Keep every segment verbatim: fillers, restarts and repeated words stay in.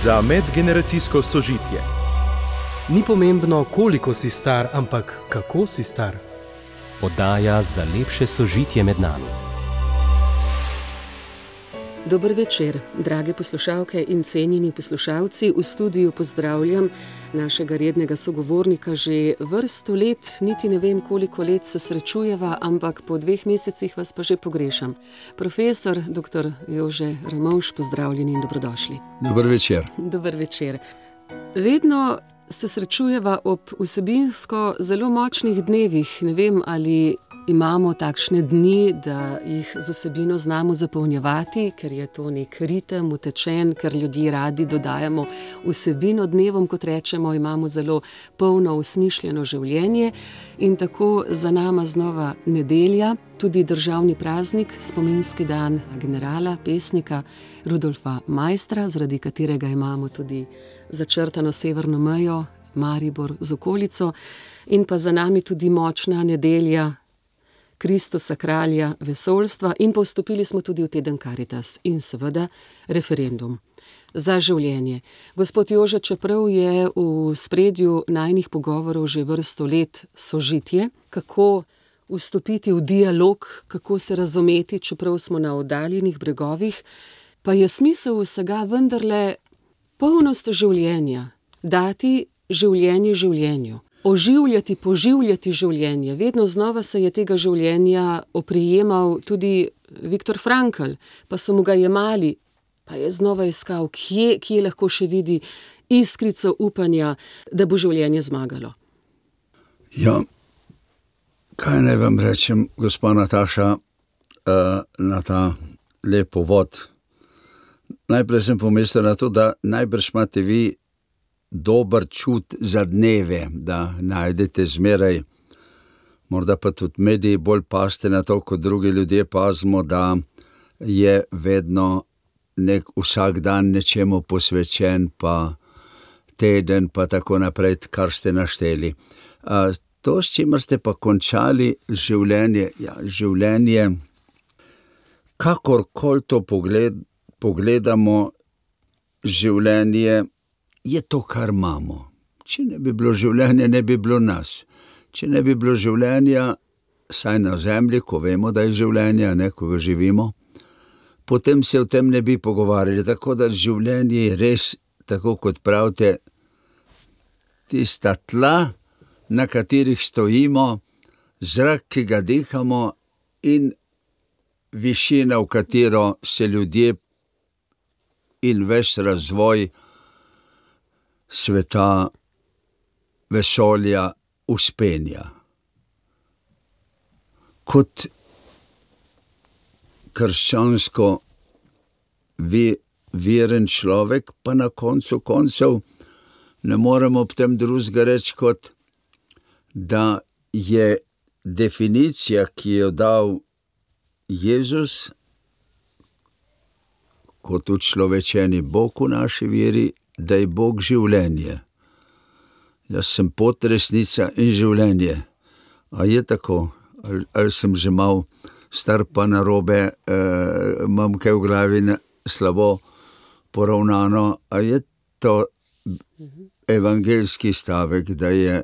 za medgeneracijsko sožitje. Ni pomembno, koliko si star, ampak kako si star. Oddaja za lepše sožitje med nami. Dober večer, drage poslušalke in cenjeni poslušalci. V studiu pozdravljam našega rednega sogovornika. Že vrsto let, niti ne vem koliko let se srečujeva, ampak po dveh mesecih vas pa že pogrešam. Profesor doktor Jože Ramovš, pozdravljeni in dobrodošli. Dober večer. Dober večer. Vedno se srečujeva ob vsebinsko zelo močnih dnevih. Ne vem, ali imamo takšne dni, da jih z vsebino znamo zapolnjevati, ker je to nek ritem, utečen, ker ljudje radi dodajamo vsebino dnevom, kot rečemo, imamo zelo polno usmišljeno življenje. In tako za nama znova nedelja, tudi državni praznik, spominski dan generala, pesnika Rudolfa Maistra, zaradi katerega imamo tudi začrtano severno mejo, Maribor z okolico, in pa za nami tudi močna nedelja Kristusa kralja vesoljstva, in pa vstopili smo tudi v teden Karitas in seveda referendum za življenje. Gospod Jože, čeprav je v spredju najnih pogovorov že vrsto let sožitje, kako vstopiti v dialog, kako se razumeti, čeprav smo na oddaljenih bregovih, pa je smisel vsega vendarle polnost življenja, dati življenje življenju. Oživljati, poživljati življenje. Vedno znova se je tega življenja oprijemal tudi Viktor Frankl, pa so mu ga jemali, pa je znova iskal, kje, kje lahko še vidi iskrico upanja, da bo življenje zmagalo. Ja, kaj naj vam rečem, gospa Nataša, uh, na ta lep uvod. Najprej sem pomislil na to, da najbrž imate vi dober čut za dneve, da najdete zmeraj, morda pa tudi mediji bolj paste na to, kot drugi ljudje pazimo, da je vedno nek vsak dan nečemu posvečen, pa teden, pa tako naprej, kar ste našteli. A, to, s čimer ste pa končali življenje, ja, življenje, kakorkoli to pogled, pogledamo, življenje je to, kar imamo. Če ne bi bilo življenja, ne bi bilo nas. Če ne bi bilo življenja, saj na zemlji, ko vemo, da je življenje, ne, ko ga živimo, potem se o tem ne bi pogovarjali. Tako da življenje je res, tako kot pravite, tista tla, na katerih stojimo, zrak, ki ga dihamo, in višina, v katero se ljudje in ves razvoj sveta, vesolja uspenja. Kot krščansko veren človek, pa na koncu koncev ne moremo ob tem drugega reči, kot da je definicija, ki jo dal Jezus, kot učlovečeni Bog v naši veri, da je Bog življenje. Jaz sem pot, resnica in življenje. A je tako? Ali, ali sem že mal star pa narobe, eh, imam kaj v glavi slabo poravnano? A je to evangeljski stavek, da je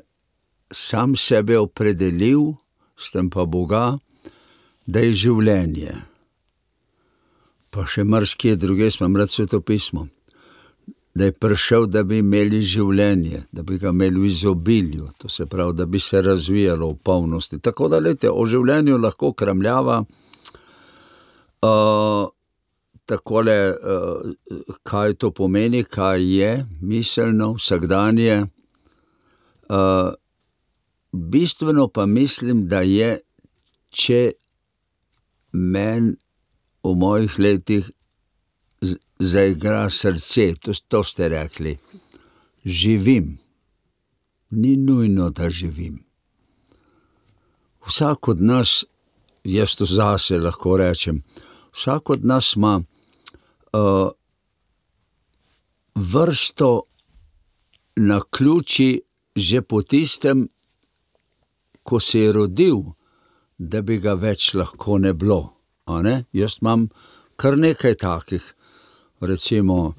sam sebe opredelil, s tem pa Boga, da je življenje? Pa še marsikje druge, smo rad svetopismo. Da je prišel, da bi imeli življenje, da bi ga imeli v izobilju, to se pravi, da bi se razvijalo v polnosti. Tako da, lejte, o življenju lahko kramljava uh, takole, uh, kaj to pomeni, kaj je miselno, vsakdanje. Uh, bistveno pa mislim, da je, če meni v mojih letih zaigra srce, to, to ste rekli, živim. Ni nujno, da živim. Vsak od nas, jaz to zase lahko rečem, vsak od nas ima uh, vrsto naključij že po tistem, ko se je rodil, da bi ga več lahko ne bilo. A ne? Jaz imam kar nekaj takih. recimo,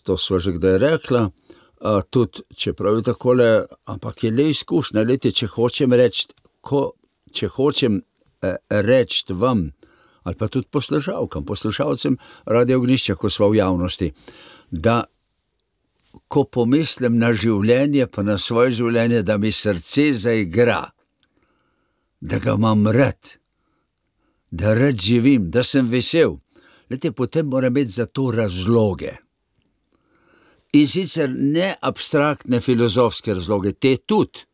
to sva že kdaj rekla, tudi, čeprav je takole, ampak je le izkušnja, lejte, če hočem reči, ko, če hočem reči vam, ali pa tudi poslušalkam, poslušalcem Radio Ognjišče, ko sva v javnosti, da ko pomislim na življenje, pa na svoje življenje, da mi srce zaigra, da ga imam rad, da rad živim, da sem vesel, lejte, potem moram imeti za to razloge. In sicer ne abstraktne filozofske razloge, te tudi,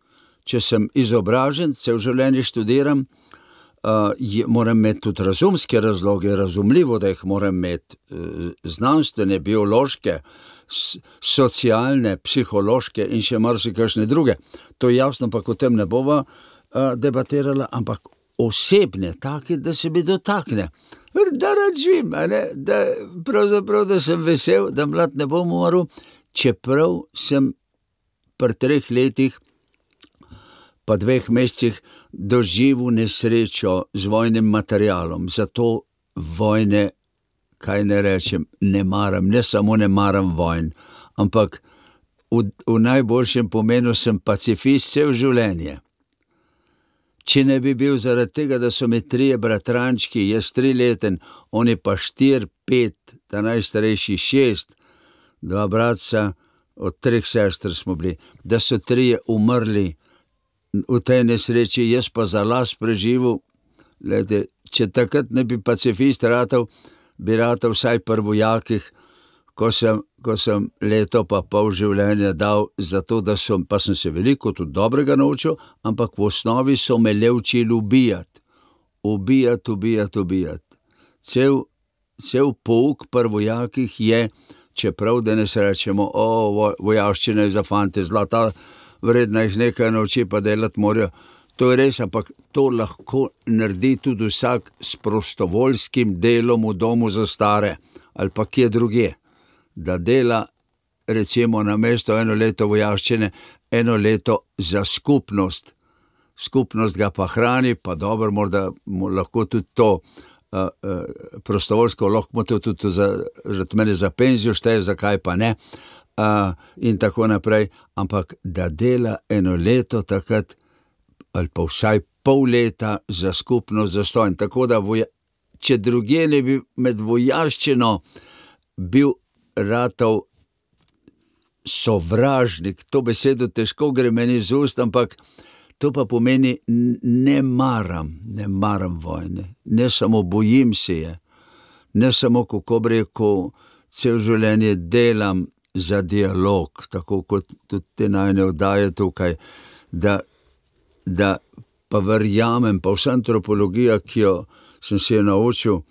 če sem izobražen, cel življenje študiram, uh, je, moram imeti tudi razumske razloge, razumljivo, da jih moram imeti uh, znanstvene, biološke, s, socialne, psihološke in še marsikakšne druge. To je jasno, pa o tem ne bova uh, debatirala, ampak osebne, take, da se mi dotakne. Da rad živim, a ne? Da pravzaprav, da sem vesel, da mlad ne bom umrl, čeprav sem pri treh letih pa dveh mesecih doživel nesrečo z vojnim materialom. Zato vojne, kaj ne rečem, ne maram, ne samo ne maram vojn, ampak v, v najboljšem pomenu sem pacifist cel življenje. Če ne bi bil zaradi tega, da so mi trije bratrančki, jaz trileten, oni pa štir, pet, ta najstarejši šest, dva bratca, od treh sester smo bili, da so trije umrli v tej nesreči, jaz pa za las preživel. Glede, če takrat ne bi pacifist ratal, bi ratal vsaj pri vojakih, ko sem, ko sem leto pa pol življenja dal za to, da so, pa sem se veliko tudi dobrega naučil, ampak v osnovi so me le učili ubijati. Ubijati, ubijati, ubijati. Cel, cel pouk pri vojakih je, čeprav danes rečemo, o, vojaščina je za fante, zlata, vredna jih nekaj nauči, pa delati morajo. To je res, ampak to lahko naredi tudi vsak s prostovoljskim delom v domu za stare, ali pa kje drugje. Da dela, recimo, na mesto eno leto vojaščine, eno leto za skupnost. Skupnost ga pa hrani, pa dobro, morda lahko tudi to uh, uh, prostovoljsko, lahko to tudi za, mene za penzijo šteje, zakaj pa ne, uh, in tako naprej, ampak da dela eno leto takrat, ali pa vsaj pol leta za skupnost zastojn. Tako da, voja, če drugje ne bi med vojaščino bil ratov sovražnik, to besedo težko gre meni z ust, ampak to pa pomeni ne maram, ne maram vojne, ne samo bojim se je, ne samo, kako bi rekel, cel življenje delam za dialog, tako kot tudi te najne oddaje tukaj, da, da pa verjamem, pa vsa antropologija, ki jo sem se je naučil,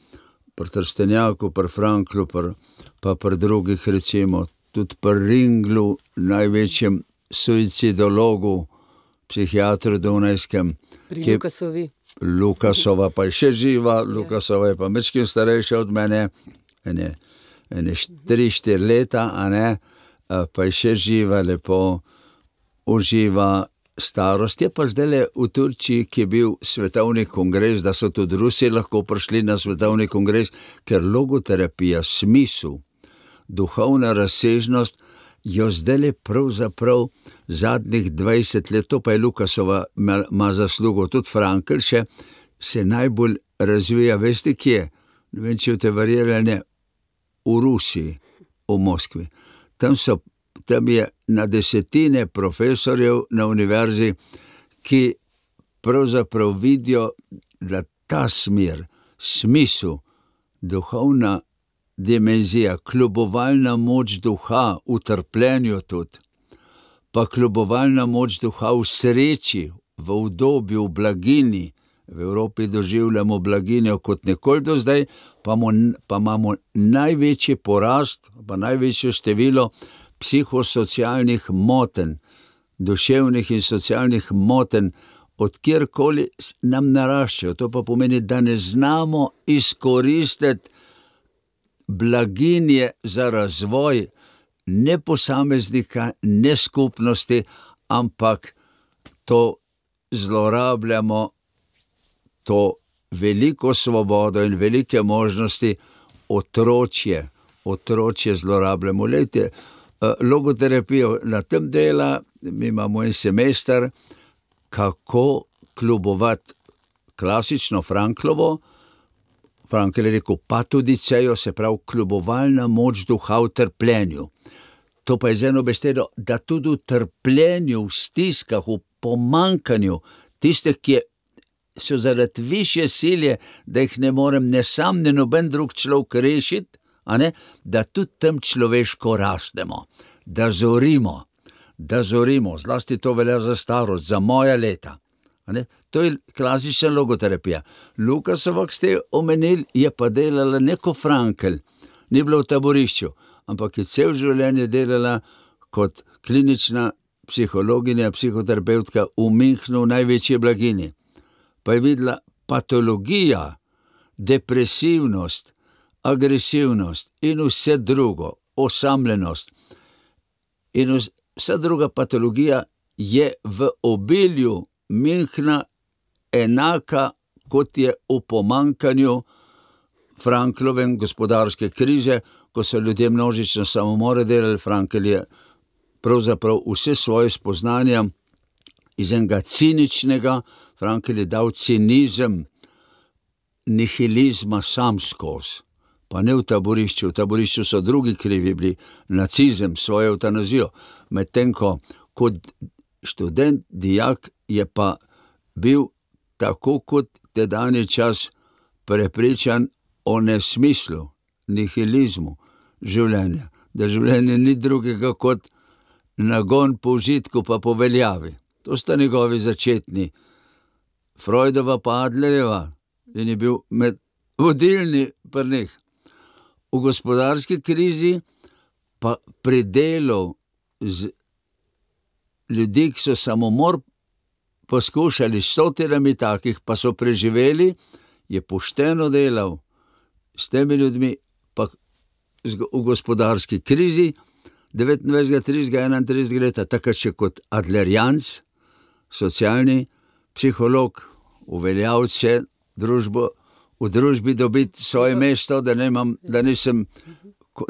pri Trstenjaku, pri Franklu, pri pa pri drugih, recimo, tudi pri Ringlu, največjem suicidologu, psihiatru dunajskem. Pri Lukasovi. Lukasova pa je še živa, Lukasova je pa mečkim starejša od mene, ene, ene tri, štiri leta, a ne, pa je še živa, lepo uživa starost. Je pa zdajle v Turčiji, ki je bil svetovni kongres, da so tudi Rusi lahko prišli na svetovni kongres, ker logoterapija, smisel, duhovna razsežnost, jo zdajle pravzaprav zadnjih dvajset let, to pa je Lukasova ima zaslugo, tudi Frankl še, se najbolj razvija, veste kje? Ne vem, če te verjeli, ne, v Rusiji, v Moskvi. Tam so Tam je na desetine profesorjev na univerzi, ki pravzaprav vidijo, da ta smer, smisel, duhovna dimenzija, kljubovalna moč duha v trpljenju tudi, pa kljubovalna moč duha v sreči, v udobju, v blagini. V Evropi doživljamo blaginjo kot nikoli do zdaj, pa, mo, pa imamo največji porast, pa največje število psihosocialnih motenj, duševnih in socialnih motenj, od kjerkoli nam naraščajo. To pa pomeni, da ne znamo izkoristiti blaginje za razvoj ne posameznika, ne skupnosti, ampak to zlorabljamo, to veliko svobodo in velike možnosti, otročje, otročje zlorabljamo. Lejte, logoterapijo na tem dela, mi imamo en semester, kako kljubovati klasično Franklovo, Frankl je rekel patodicejo, se pravi kljubovalna moč duha v trpljenju. To pa je z eno besedo, da tudi v trpljenju, v stiskah, v pomankanju, tiste, ki so zaradi višje silje, da jih ne morem ne sam, ne noben drug človek rešiti, a ne, da tudi tam človeško rastemo, da zorimo, da zorimo, zlasti to velja za starost, za moja leta. A ne? To je klasična logoterapija. Lukasova, ki ste omenili, je pa delala neko Frankl, ni bila v taborišču, ampak je cel življenje delala kot klinična psihologinja, psihoterapeutka v Münchnu, v največji blagini. Pa je videla patologija, depresivnost, agresivnost in vse drugo, osamljenost. In vsa druga patologija je v obilju Münchna enaka, kot je v pomankanju Franklovem gospodarske krize, ko so ljudje množično samomore delali. Frankl je pravzaprav vse svoje spoznanja iz enega ciničnega, Frankl je dal cinizem nihilizma sam skozi, pa ne v taborišču. V taborišču so drugi krivi bili, nacizem, svojo eutanazijo, medtem ko kot študent, dijak je pa bil tako kot tedanji čas prepričan o nesmislu, nihilizmu življenja, da življenje ni drugega kot nagon po užitku pa po veljavi. To sta njegovi začetni. Freudova pa Adlerjeva in je bil med vodilni pri njih. V gospodarski krizi pa pri delu z ljudi, ki so samomor poskušali s stotinami takih, pa so preživeli, je pošteno delal s temi ljudmi, pa v gospodarski krizi devetindvajsetega, tridesetega, enaintridesetega leta, takrat še kot adlerjanc, socialni psiholog, uveljavlja družbo, v družbi dobiti svoje mesto, da nimam, da nisem,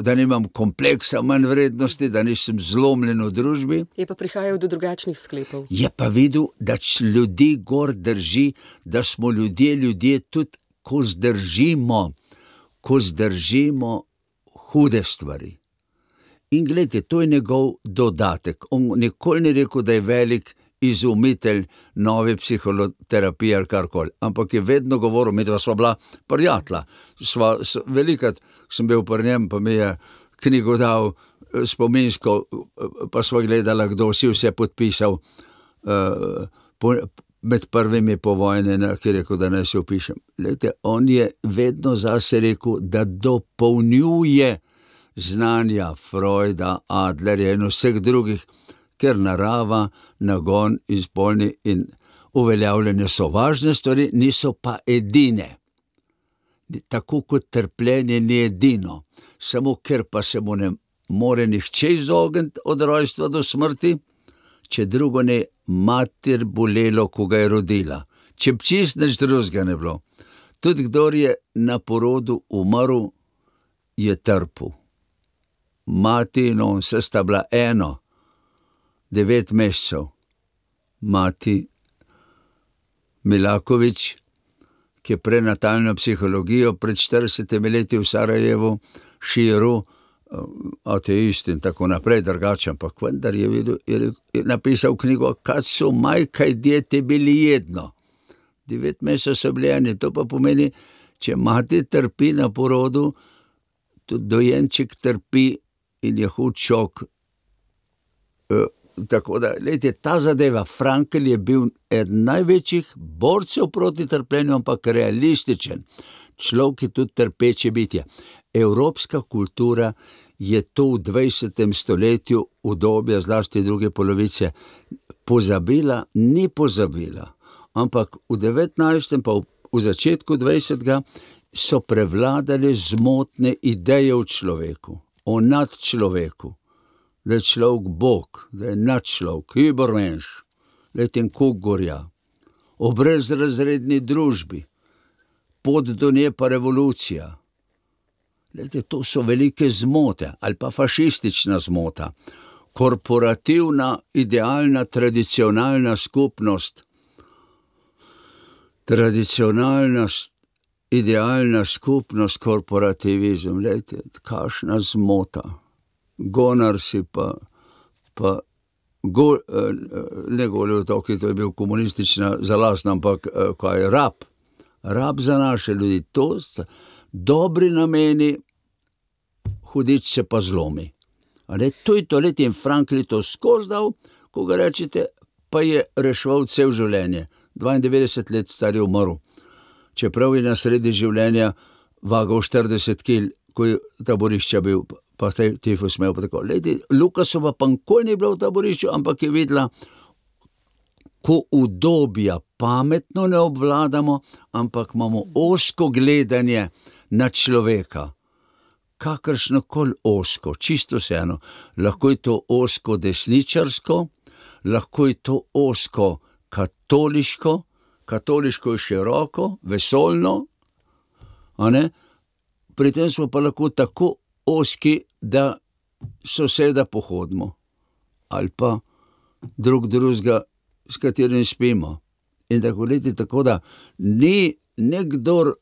da nimam kompleksa manj vrednosti, da nisem zlomljen v družbi. Je pa prihajal do drugačnih sklepov. Je pa videl, da ljudi gor drži, da smo ljudje, ljudje tudi, ko zdržimo, ko zdržimo hude stvari. In gledajte, to je njegov dodatek. On nikoli ni rekel, da je velik izumitelj nove psihoterapije ali karkoli, ampak je vedno govoril, mi dva sva bila prijatelja. Sva, velikrat sem bil pri njem, pa mi je knjigo dal spominsko, pa sva gledala, kdo si vse podpisal uh, po, med prvimi po vojne, ki je rekel, da ne se opišem. Glejte, on je vedno zase rekel, da dopolnjuje znanja Freuda, Adlerja in vseh drugih, ker narava, nagon, izpolni in uveljavljanje so važne stvari, niso pa edine. Tako kot trpljenje ni edino, samo ker pa se mu ne more nihče izogniti od rojstva do smrti, če drugo ne mater bolelo, ko ga je rodila. Če čist nič drugega ne bilo. Tudi kdor je na porodu umrl, je trpel. Mati in on se sta bila eno, devet mesecev. Mati Milakovič, ki je prenatalno psihologijo pred štiridesetimi leti v Sarajevu širil, ateist in tako naprej, drugače, ampak vendar je, videl, je, je napisal knjigo, kad su majka i dijete bili jedno. Devet mesecev so bili eni, to pa pomeni, če mati trpi na porodu, tudi dojenček trpi in je hud šok. E, tako da, lejte, ta zadeva, Frankl je bil eden največjih borcev proti trpljenju, ampak realističen. Človek je tudi trpeče bitje. Evropska kultura je to v dvajsetem stoletju, v dobje zlasti druge polovice, pozabila, ni pozabila, ampak v devetnajstem pa v, v začetku dvajsetega so prevladale zmotne ideje o človeku, o nadčloveku, da je človek Bog, da je nadčlovek, übermensch, leten kuk gorja, o brezrazredni družbi, pot do nje pa revolucija. Lejte, to so velike zmote ali pa fašistična zmota. Korporativna, idealna, tradicionalna skupnost. Tradicionalna, idealna skupnost, korporativizem. Lejte, kakšna zmota. Gonar si pa, pa go, ne Golji otoki, to je bil komunistična zalast, ampak kaj je rab. Rab za naše ljudi. To sta dobri nameni, hudič se pa zlomi. Ale, to je to let in Frankl to skozdal, ko ga rečete, pa je reševal cel življenje. dvaindevetdeset let star je umrl. Čeprav je na sredi življenja vagal štirideset kil, ko je taborišča bil, pa te tifus imel pa tako. Lejte, Lukasova pa nikoli ni bila v taborišču, ampak je videla, ko udobja pametno ne obvladamo, ampak imamo ozko gledanje na človeka. Kakršnokoli ozko, čisto vseeno. Lahko je to ozko desničarsko, lahko je to ozko katoliško, katoliško je široko, vesoljno, a ne? Pri tem smo pa lahko tako ozki, da soseda pohodimo. Ali pa drug drugega, s katerim spimo. In tako leti, tako da ni nekdor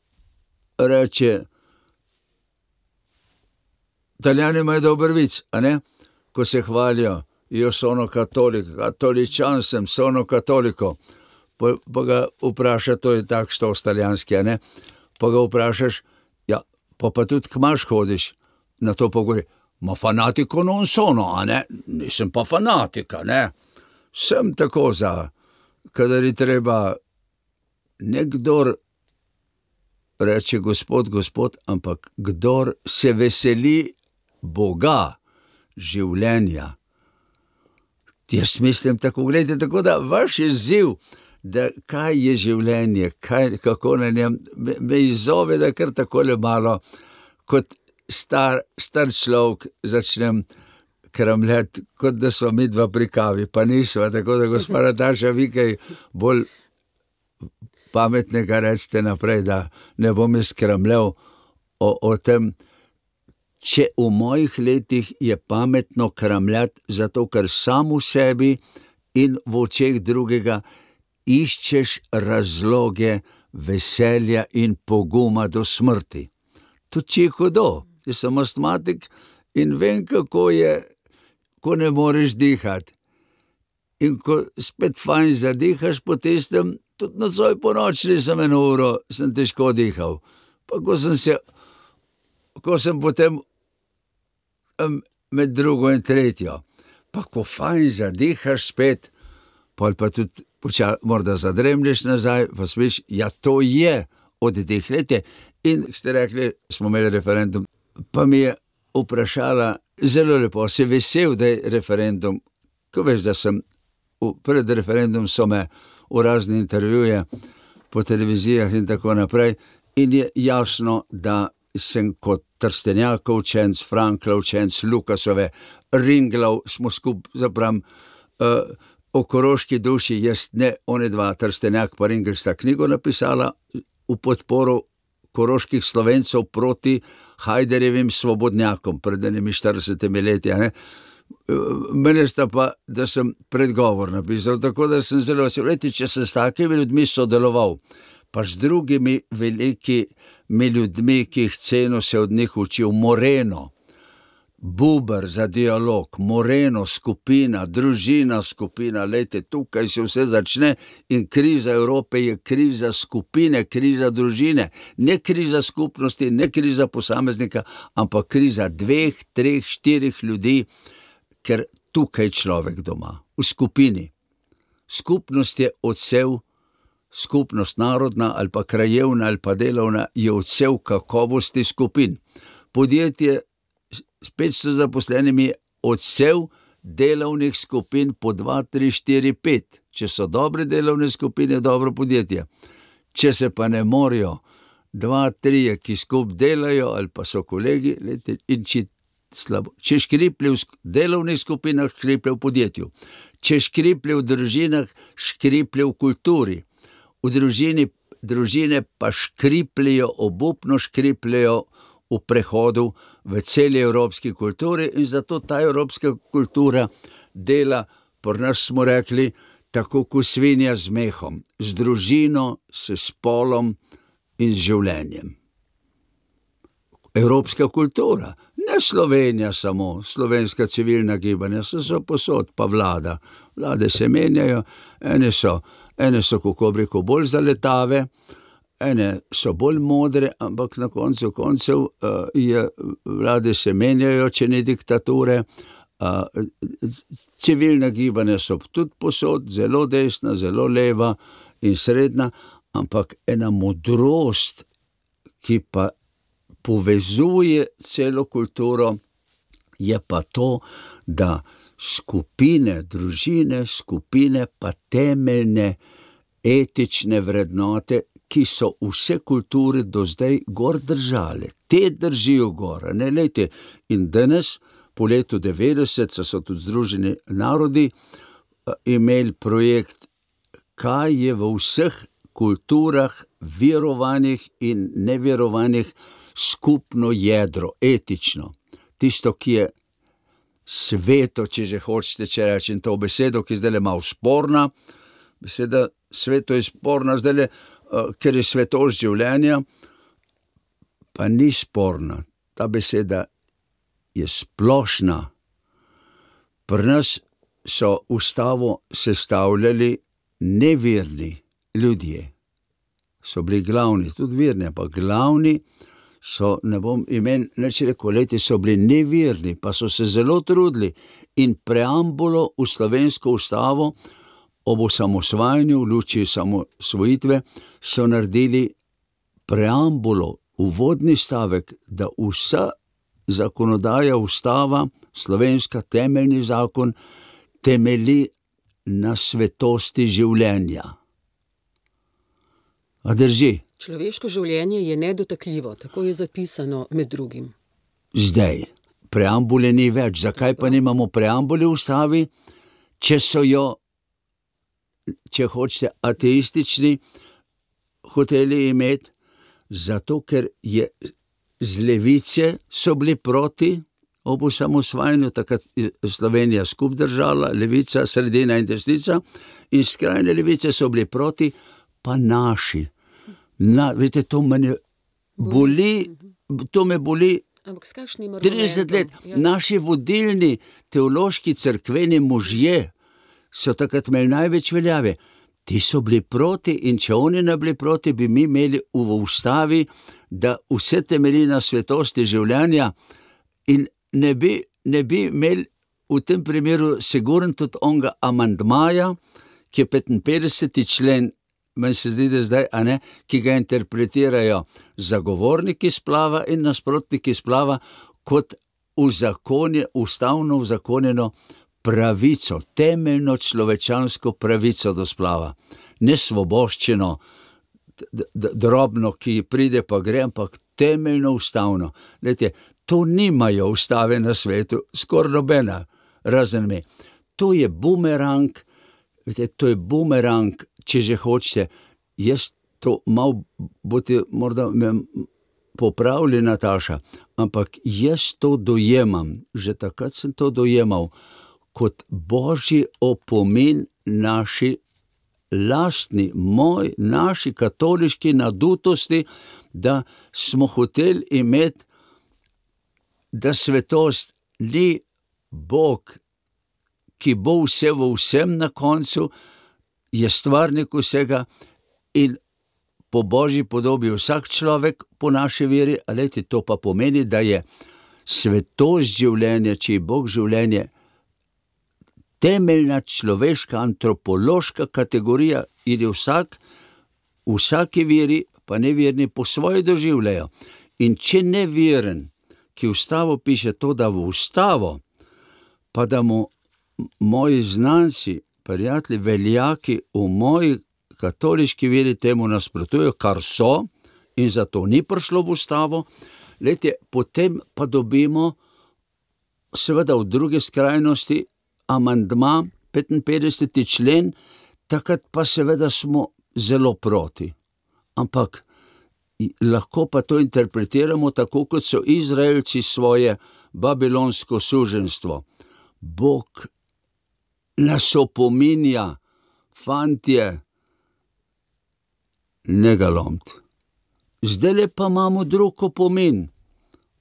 reče, Italijani imajo dober vic, a ne? Ko se hvalijo, io sono cattolico, katoličan sem, sono katoliko. Pa, pa ga vpraša, to je tak štos talijanski, a ne? Pa ga vprašaš, ja, pa pa tudi kmaš hodiš, na to pa govori, ma fanatico non sono, a ne? Nisem pa fanatika, ne? Sem tako za, kadar je treba nekdor reče gospod, gospod, ampak kdor se veseli Boga, življenja. Jaz mislim tako, gledajte, tako da vaš izziv, da kaj je življenje, kaj, kako na njem, me, me izzove, da kar takole malo, kot star, star človek začnem kramljati, kot da smo mi dva pri kavi, pa nisva, tako da gospa Nataša, vi kaj bolj pametnega recite naprej, da ne bom jaz kramljal o, o tem, če v mojih letih je pametno kramljati, zato ker sam v sebi in v očeh drugega iščeš razloge veselja in poguma do smrti. To če je hudo, jaz sem astmatik in vem, kako je, ko ne moreš dihati. In ko spet fajn zadihaš po tistem, tudi nocoj po noči sem eno uro, sem težko dihal. Pa ko sem se, ko sem potem med drugo in tretjo, pa ko fajn zadihaš spet, pol pa tudi poča, morda zadremlješ nazaj, pa smiš, ja, to je od teh letje. In ste rekli, smo imeli referendum, pa mi je vprašala, zelo lepo, si vesel, da je referendum, ko veš, da sem, pred referendum so me v razne intervjuje po televizijah in tako naprej, in je jasno, da sem kot Trstenjakov učenc, Franklov učenc, Lukasove, Ringlov, smo skup, zapravim, uh, o koroški duši, jaz ne, one dva, Trstenjak pa Ringl sta knjigo napisala v podporu koroških Slovencov proti Hajderjevim svobodnjakom pred enimi štiridesetimi leti, ne. Mene sta pa, da sem predgovor napisal, tako da sem zelo vesel. Leti, če sem s takimi ljudmi sodeloval, pa z drugimi velikimi ljudmi, ki jih ceno se od njih učil, Moreno, Buber za dialog, Moreno skupina, družina skupina, lejte, tukaj se vse začne in kriza Evrope je kriza skupine, kriza družine, ne kriza skupnosti, ne kriza posameznika, ampak kriza dveh, treh, štirih ljudi, ker tukaj človek doma, v skupini. Skupnost je odsev, skupnost narodna ali pa krajevna ali pa delovna je odsev kakovosti skupin. Podjetje s petsto zaposlenimi je odsev delovnih skupin po dva, tri, štiri, pet. Če so dobre delovne skupine, dobro podjetje. Če se pa ne morajo dva, trije, ki skup delajo ali pa so kolegi, lete, in če slabo. Če škriplje v delovnih skupinah, škriplje v podjetju. Če škriplje v družinah, škriplje v kulturi. V družini, družine pa škripljajo, obupno škripljajo v prehodu v celi evropski kulturi in zato ta evropska kultura dela, pri nas smo rekli, tako kot svinja z mehom, z družino, s spolom in z življenjem. Evropska kultura, ne Slovenija samo, slovenska civilna gibanja, so so posod, pa vlada. Vlade se menjajo, ene so, ene so, kako bi rekel, bolj zaletave, ene so bolj modre, ampak na koncu koncev uh, je, vlade se menjajo, če ni diktature. Uh, civilna gibanja so tudi posod, zelo desna, zelo leva in srednja, ampak ena modrost, ki pa povezuje celo kulturo, je pa to, da skupine, družine, skupine pa temeljne etične vrednote, ki so vse kulture do zdaj gor držale. Te držijo gor, ne lejte. In danes, po letu devetdeset, so, so tudi Združeni narodi imeli projekt, kaj je v vseh kulturah, verovanih in neverovanih, skupno jedro, etično. Tisto, ki je sveto, če že hočete, če rečem to besedo, ki zdaj je malo sporna. Beseda sveto je sporna zdaj, uh, ker je svetost življenja, pa ni sporna. Ta beseda je splošna. Pri nas so ustavo sestavljali neverni ljudje. So bili glavni, tudi verni, pa glavni so, ne bom imen, neč rekel, leti so bili neverni, pa so se zelo trudili in preambulo v slovensko ustavo ob osamosvajanju, v luči osamosvojitve, so naredili preambulo, uvodni stavek, da vsa zakonodaja, ustava, slovenska temeljni zakon, temelji na svetosti življenja. A drži? Človeško življenje je nedotakljivo, tako je zapisano med drugim. Zdaj, preambule ni več. Zakaj pa nimamo preambule v ustavi, če so jo, če hočete, ateistični hoteli imeti? Zato, ker je z levice so bili proti ob osamosvajanju, takrat Slovenija skup držala, levica, sredina in desnica, in skrajne levice so bili proti, pa naši. Na, veste, to mene boli, to me boli trideset let. Ja. Naši vodilni teološki cerkveni možje so takrat imeli največ veljave. Ti so bili proti in če oni ne bili proti, bi mi imeli v ustavi, da vse temelji na svetosti življenja in ne bi, ne bi imeli v tem primeru sigurno tudi onga amandmaja, ki je petinpetdeseti člen, meni se zdi, da zdaj, a ne, ki ga interpretirajo zagovorniki splava in nasprotniki splava kot uzakonje, ustavno uzakonjeno pravico, temeljno človečansko pravico do splava. Ne svoboščino, drobno, ki pride pa gre, ampak temeljno ustavno. Lejte, to nimajo ustave na svetu, skoraj nobena, razen me. To je bumerang, lejte, to je bumerang, če že hočete. Jaz to malo, boste morda me popravili, Nataša, ampak jaz to dojemam, že takrat sem to dojemal, kot božji opomin naši lastni, moj, naši katoliški nadutosti, da smo hoteli imeti, da svetost ni Bog, ki bo vse v vsem na koncu, je stvarnik vsega in po božji podobi vsak človek po naši veri, a lejte, to pa pomeni, da je svetost življenja, če je Bog življenje, temeljna človeška antropološka kategorija, in je vsak, vsaki veri, pa neverni po svoje doživljajo. In če neveren, ki ustavo piše to, da v ustavo, pa da mu moji znanci, prijatelji, veljaki v moji katoliški veri temu nasprotujejo, kar so, in zato ni prišlo v ustavo, lejte, potem pa dobimo seveda v druge skrajnosti amandma, petinpetdeseti člen, takrat pa seveda smo zelo proti. Ampak lahko pa to interpretiramo tako, kot so Izraelci svoje babilonsko suženstvo. Bog nas opominja, fantje, ne ga lomt. Zdajle pa imamo drug opomin.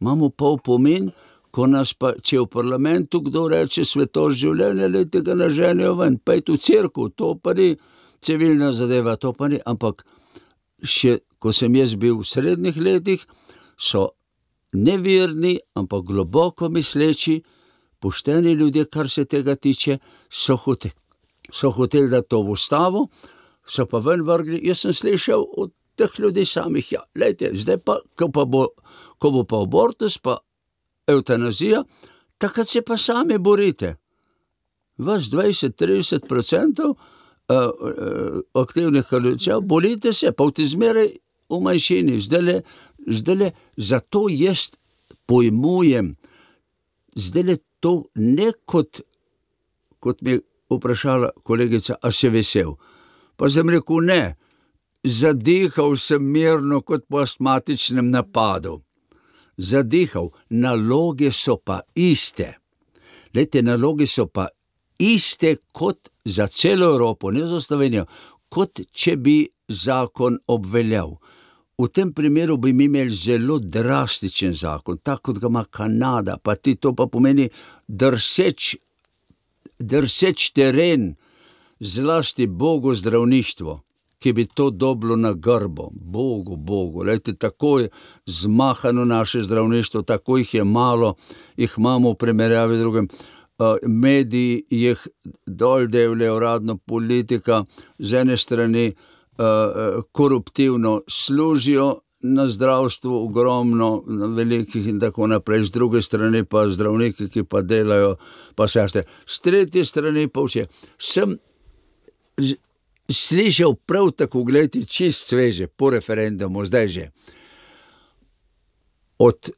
Imamo pa opomin, ko nas pa, če v parlamentu kdo reče svetost življenja, lejte ga naženejo ven, pejte v cerkev, to pa ni civilna zadeva, to pa ni, ampak še, ko sem jaz bil v srednjih letih, so nevirni, ampak globoko misleči, pošteni ljudje, kar se tega tiče, so hoteli, so hoteli da to v ustavo, so pa ven vrgli. Jaz sem slišal od teh ljudi samih, ja, lejte, zdaj pa, ko pa bo, ko bo pa abortus, pa eutanazija, takrat se pa sami borite. Vas dvajset do trideset procentov uh, uh, aktivnih kaličev, borite se, pa v te zmeraj v manjšini. Zdajle, zdajle, zato jaz pojmujem, zdajle to ne kot, kot mi je vprašala kolegica, a se vesel. Pa sem rekel, ne, zadihal sem mirno kot po astmatičnem napadu. Zadihal, naloge so pa iste. Lejte, naloge so pa iste kot za celo Evropo, ne za Slovenijo, kot če bi zakon obveljal. V tem primeru bi mi imeli zelo drastičen zakon, tako kot ga ima Kanada, pa ti to pa pomeni drseč, drseč teren, zlasti Bogu zdravništvo, ki bi to dobilo na grbo. Bogu, Bogu, lejte, tako je zmahano naše zdravništvo, tako jih je malo, jih imamo v primerjavi z drugim. Uh, mediji jih dol devljajo, uradno politika z ene strani uh, koruptivno služijo na zdravstvu, ogromno, na velikih in tako naprej, z druge strani pa zdravniki, ki pa delajo, pa sešte. Z tretje strani pa vse. Sem slišal prav tako, gledajte, čist sveže, po referendumu, zdaj že. Od,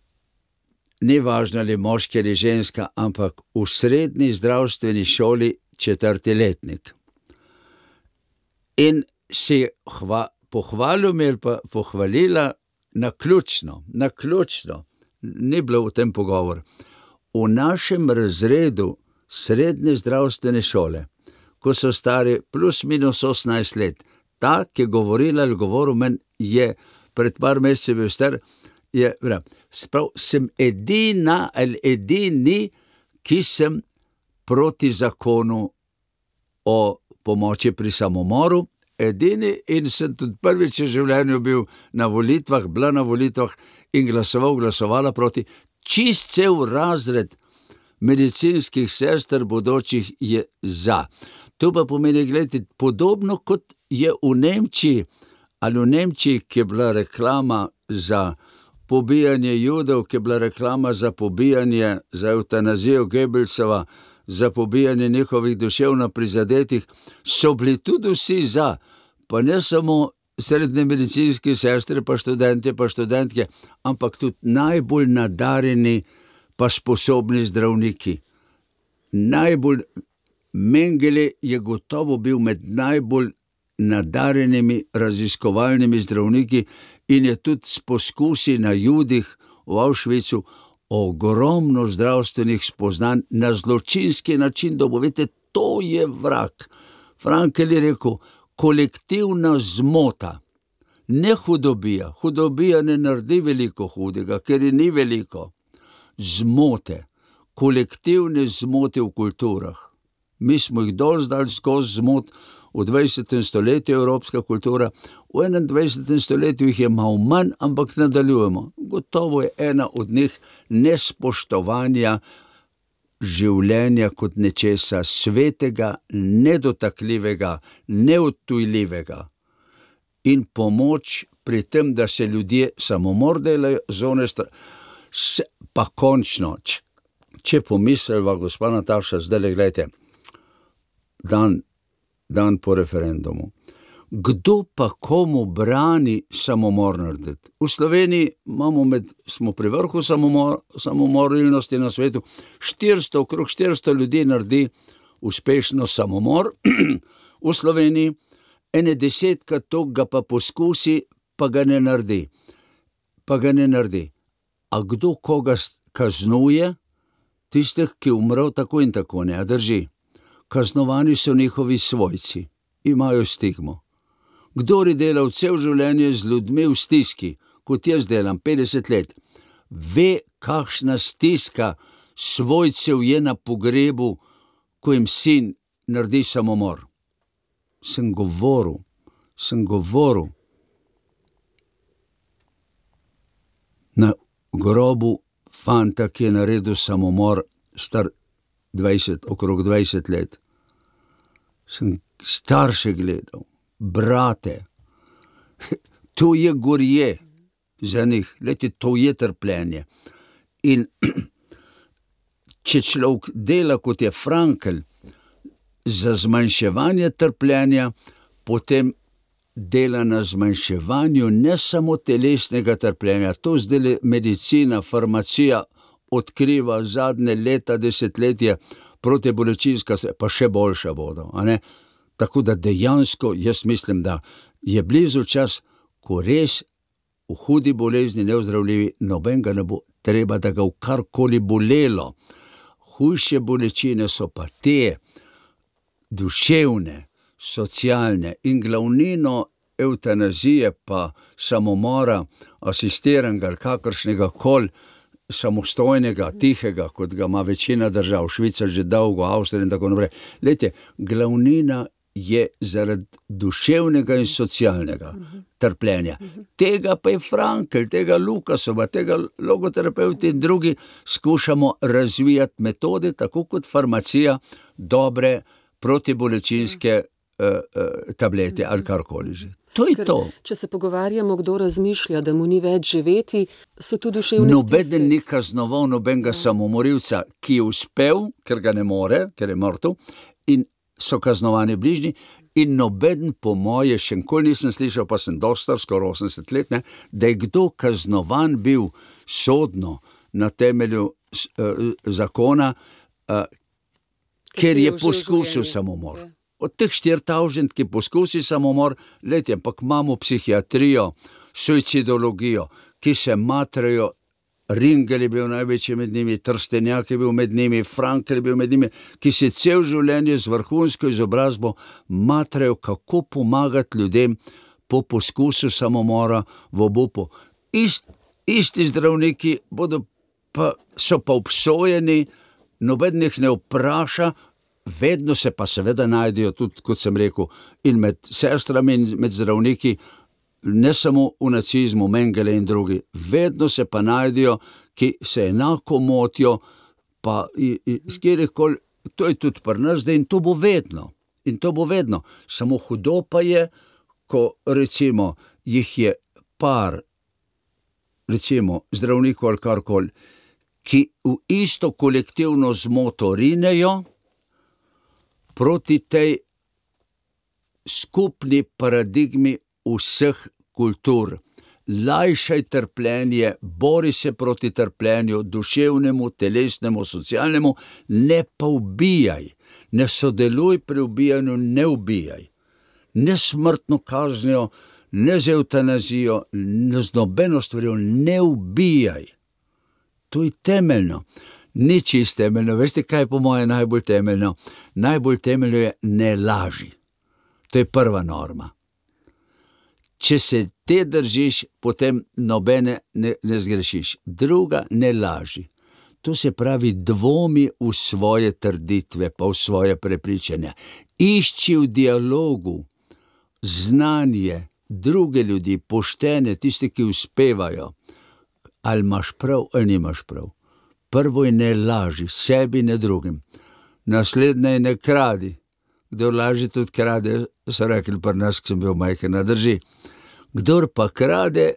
ni važno ali moški ali ženska, ampak v srednji zdravstveni šoli četrti letnik. In si hva, pohvalil mi ali pa pohvalila naključno, naključno, ni bilo v tem pogovor. V našem razredu srednje zdravstvene šole, ko so stari plus minus osemnajst let, ta, ki je govorila ali govoril men, je pred par meseci bil star, je, prav, sprav, sem edina ali edini, ki sem proti zakonu o pomoči pri samomoru, edini, in sem tudi prvič v življenju bil na volitvah, bila na volitvah in glasoval, glasovala proti. Čist cel razred medicinskih sester bodočih je za. To pa pomeni, gledajte, podobno kot je v Nemčiji, ali v Nemčiji, ki je bila reklama za pobijanje Judov, ki je bila reklama za pobijanje, za eutanazijo Goebbelsova, za pobijanje njihovih duševno prizadetih, so bili tudi vsi za, pa ne samo srednje medicinske sestre, pa študente, pa študentke, ampak tudi najbolj nadarjeni, pa sposobni zdravniki. Najbolj, Mengele je gotovo bil med najbolj nadarjenimi raziskovalnimi zdravniki in je tudi s poskusi na Judih v Auschwitzu ogromno zdravstvenih spoznanj na zločinski način dobil. Vidite, to je vrag. Frankel je rekel, kolektivna zmota, ne hudobija. Hudobija ne naredi veliko hudega, ker je ni veliko. Zmote, kolektivne zmote v kulturah. Mi smo jih dol zdali skozi zmot v dvajsetem stoletju, evropska kultura, v enaindvajsetem stoletju jih je malo manj, ampak nadaljujemo. Gotovo je ena od njih nespoštovanja življenja kot nečesa svetega, nedotakljivega, neodtujljivega. In pomoč pri tem, da se ljudje samomor delajo, zone stra... Se, pa končno, če, če pomisliva, gospa Nataša, zdaj gledajte, dan, dan po referendumu. Kdo pa komu brani samomor narediti? V Sloveniji imamo med, smo pri vrhu samomor, samomorilnosti na svetu, štiristo, okrog štiristo ljudi naredi uspešno samomor v Sloveniji, ene desetka toga pa poskusi pa ga ne naredi. Pa ga ne naredi. A kdo koga kaznuje? Tistih, ki umrl tako in tako, ne, a drži. Kaznovani so njihovi svojci, imajo stigmo. Kdor je delal cel življenje z ljudmi v stiski, kot jaz delam petdeset let, ve, kakšna stiska svojcev je na pogrebu, ko jim sin naredi samomor. Sem govoril, sem govoril. Na grobu fanta, ki je naredil samomor, star dvajset, okrog dvajset let. Sem starše gledal, brate. To je gorje za njih, lejte, to je trpljenje. In če človek dela, kot je Frankl, za zmanjševanje trpljenja, potem dela na zmanjševanju ne samo telesnega trpljenja. To zdaj medicina, farmacija odkriva zadnje leta, desetletje, protibolečinska, pa še boljša bodo. A ne? Tako da dejansko jaz mislim, da je blizu čas, ko res v hudi bolezni neozdravljivi, noben ga ne bo treba, da ga v karkoli bolelo. Hujše bolečine so pa te duševne, socialne in glavnino evtanazije pa samomora, asistiranega ali kakršnega kol, samostojnega, tihega, kot ga ima večina držav, Švica že dolgo, Avstrija in tako naprej. Lejte, glavnina je zaradi duševnega in socialnega trpljenja. Tega pa je Frankl, tega Lukasova, tega logoterapeuti in drugi skušamo razvijati metode, tako kot farmacija, dobre protibolečinske uh, uh, tablete ali karkoli že. To je Ker, to. Če se pogovarjamo, kdo razmišlja, da mu ni več živeti, so tu duševne Nobeden stiske. ni kaznoval nobenega samomorilca, ki je uspel, ker ga ne more, ker je mrtev, in so kaznovani bližnji, in nobeden po moje, še nikoli nisem slišal, pa sem dosti star, skoraj osemdeset let, ne, da je kdo kaznovan bil sodno na temelju uh, zakona, uh, ker je poskusil samomor. Od teh štiri tavžent, ki poskusi samomor, lejte, ampak imamo psihiatrijo, suicidologijo, ki se matrajo. Ringel je bil največji med njimi, Trstenjak je bil med njimi, Frankl je bil med njimi, ki se cel življenje z vrhunsko izobrazbo matrajo, kako pomagati ljudem po poskusu samomora v obupu. Ist, isti zdravniki bodo pa, so pa obsojeni, noben jih ne vpraša, vedno se pa seveda najdejo tudi, kot sem rekel, in med sestrami in med zdravniki, ne samo v nacizmu, Mengele in drugi, vedno se pa najdejo, ki se enako motijo, pa skjerikoli, to je tudi pri nas zdaj in to bo vedno. In to bo vedno. Samo hudo pa je, ko recimo jih je par, recimo zdravnikov ali karkoli, ki v isto kolektivno zmoto rinejo proti tej skupni paradigmi vseh kultur. Lajšaj trpljenje, bori se proti trpljenju, duševnemu, telesnemu, socialnemu, ne pa ubijaj. Ne sodeluj pri ubijanju, ne ubijaj. Ne smrtno kaznijo, ne z evtanazijo, ne z nobeno stvarjo, ne ubijaj. To je temeljno. Ni čist temeljno. Veste, kaj je po moje najbolj temeljno? Najbolj temeljno je ne laži. To je prva norma. Če se te držiš, potem nobene ne, ne zgrešiš. Druga, ne laži. To se pravi dvomi v svoje trditve, pa v svoje prepričanja. Išči v dialogu znanje, druge ljudi, poštene, tiste, ki uspevajo. Ali imaš prav, ali nimaš prav. Prvo je ne laži, sebi, ne drugim. Naslednje je ne kradi. Kdor laži, tudi krade, so rekli pri nas, ki sem bil majhen, drži. Kdor pa krade,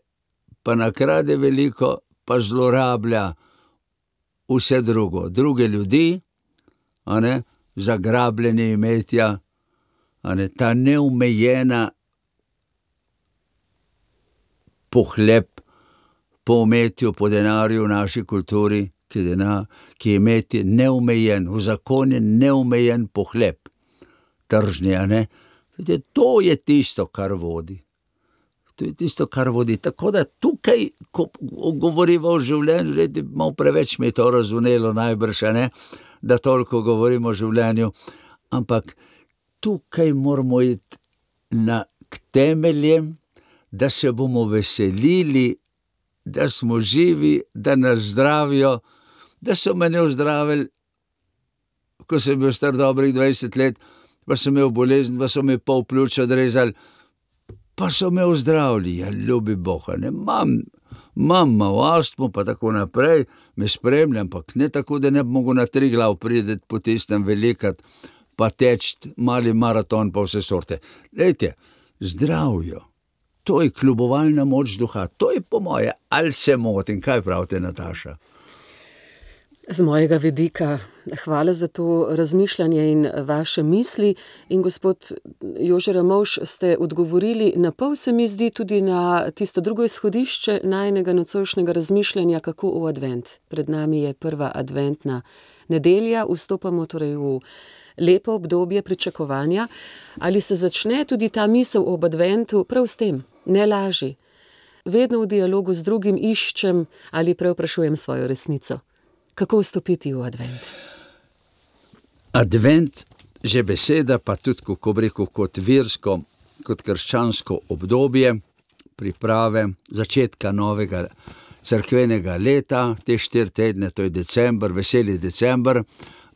pa nakrade veliko, pa zlorablja vse drugo. Druge ljudi, a ne, zagrabljanje imetja, a ne, ta neomejena pohlep po umetju, po denarju v naši kulturi, ki, denar, ki imeti neomejen, v zakonu neomejen pohlep. Tržni, a ne? To je tisto, kar vodi. To je tisto, kar vodi. Tako da tukaj, ko govorimo o življenju, leti, malo preveč mi je to razvonelo najbrž, ne, da toliko govorimo o življenju, ampak tukaj moramo iti na, k temeljem, da se bomo veselili, da smo živi, da nas zdravijo, da so me ne ozdravili, ko sem bil star dobrih dvajset let, pa sem imel bolezen, pa so mi pol pljuča odrezali, pa so me ozdravili, ja, ljubi Boha, ne, mam, mam malo astmo, pa tako naprej, me spremljam, ampak ne tako, da ne bi mogel na Triglav prideti po tistem velikat, pa teči mali maraton, pa vse sorte. Lejte, zdravjo, to je kljubovalna moč duha, to je po moje, ali se motim, kaj pravite, Nataša? Z mojega vidika, hvala za to razmišljanje in vaše misli. In gospod Jože Ramovš, ste odgovorili na pol, se mi zdi, tudi na tisto drugo izhodišče najinega nocojšnjega razmišljanja, kako v advent. Pred nami je prva adventna nedelja, vstopamo torej v lepo obdobje pričakovanja. Ali se začne tudi ta misel ob adventu prav s tem? Ne laži. Vedno v dialogu z drugim iščem ali preoprašujem svojo resnico. Kako vstopiti v advent? Advent, že beseda, pa tudi, kako bi rekel, kot versko, kot krščansko obdobje, priprave, začetka novega cerkvenega leta, te štiri tedne, to je december, veseli december,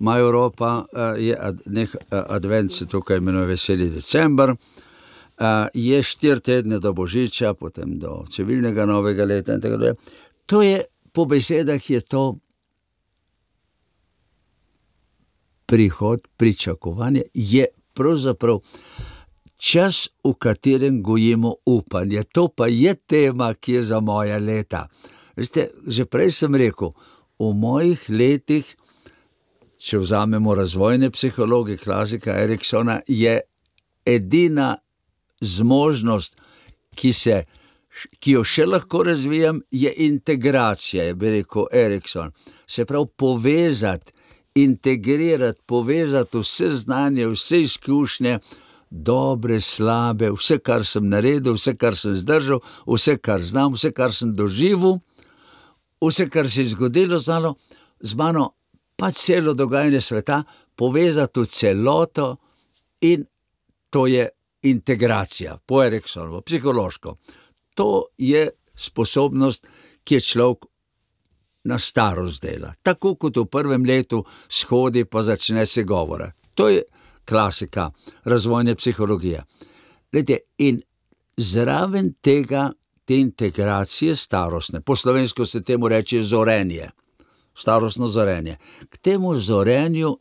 ima Evropa, je nek advent, se tukaj imenuje veseli december, je štiri tedne do Božiča, potem do civilnega novega leta in tako dalje. To je, po besedah je to prihod, pričakovanje, je pravzaprav čas, v katerem gojimo upanje. To pa je tema, ki je za moja leta. Veste, že prej sem rekel, v mojih letih, če vzamemo razvojne psihologe, klasika Eriksona, je edina zmožnost, ki se, ki jo še lahko razvijam, je integracija, je bi rekel Erikson. Se pravi, povezati, integrirati, povezati vse znanje, vse izkušnje, dobre, slabe, vse, kar sem naredil, vse, kar sem zdržal, vse, kar znam, vse, kar sem doživel, vse, kar se je zgodilo z mano, z mano, pa celo dogajanje sveta, povezati v celoto, in to je integracija, po Eriksonovo, psihološko. To je sposobnost, ki je človek na starost dela. Tako kot v prvem letu shodi, pa začne se govora. To je klasika razvojne psihologije. Glede, in zraven tega, te integracije starostne, po slovensko se temu reče zorenje, starostno zorenje. K temu zorenju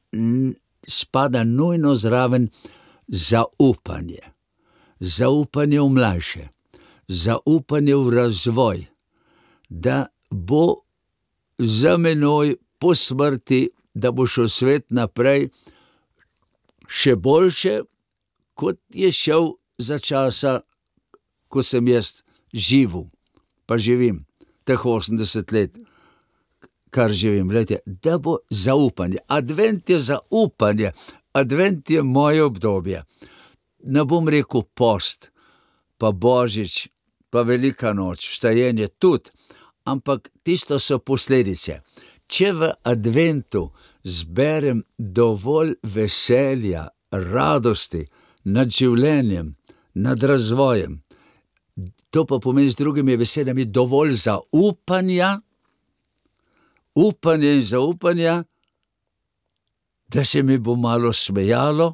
spada nujno zraven zaupanje. Zaupanje v mlajše, zaupanje v razvoj, da bo za menoj po smrti, da bo šel svet naprej še boljše, kot je šel za časa, ko sem jaz živel, pa živim teh osemdeset let, kar živim. Glejte, da bo zaupanje. Advent je zaupanje, advent je moje obdobje. Ne bom rekel post, pa Božič, pa Velika noč, vstajenje tudi, ampak tisto so posledice. Če v adventu zberem dovolj veselja, radosti nad življenjem, nad razvojem, to pa pomeni z drugimi besedami dovolj zaupanja, upanja in zaupanja, da se mi bo malo smejalo,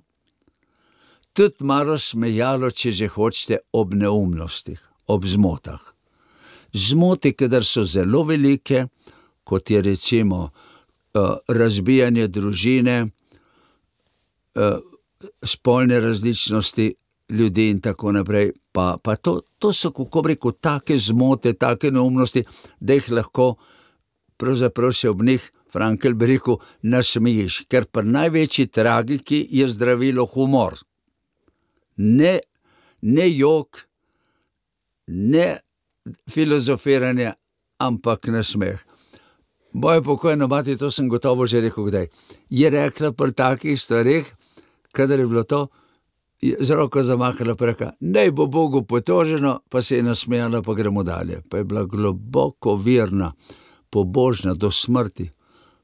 tudi malo smejalo, če že hočete, ob neumnostih, ob zmotah. Zmote, kadar so zelo velike, kot je recimo uh, razbijanje družine, uh, spolne različnosti ljudi in tako naprej, pa, pa to, to so, kako bi rekel, take zmote, take neumnosti, da jih lahko pravzaprav se ob njih, Frankl bi rekel, nasmejiš, ker pri največji tragiki je zdravilo humor. Ne, ne jok, ne filozofiranje, ampak nasmeh. Moja pokojna mati, to sem gotovo že rekel kdaj, je rekla pri takih stvareh, kadar je bilo to, je z roko zamahala, pa rekla, naj bo Bogu potoženo, pa se je nasmejala, pa gremo dalje. Pa je bila globoko verna, pobožna do smrti,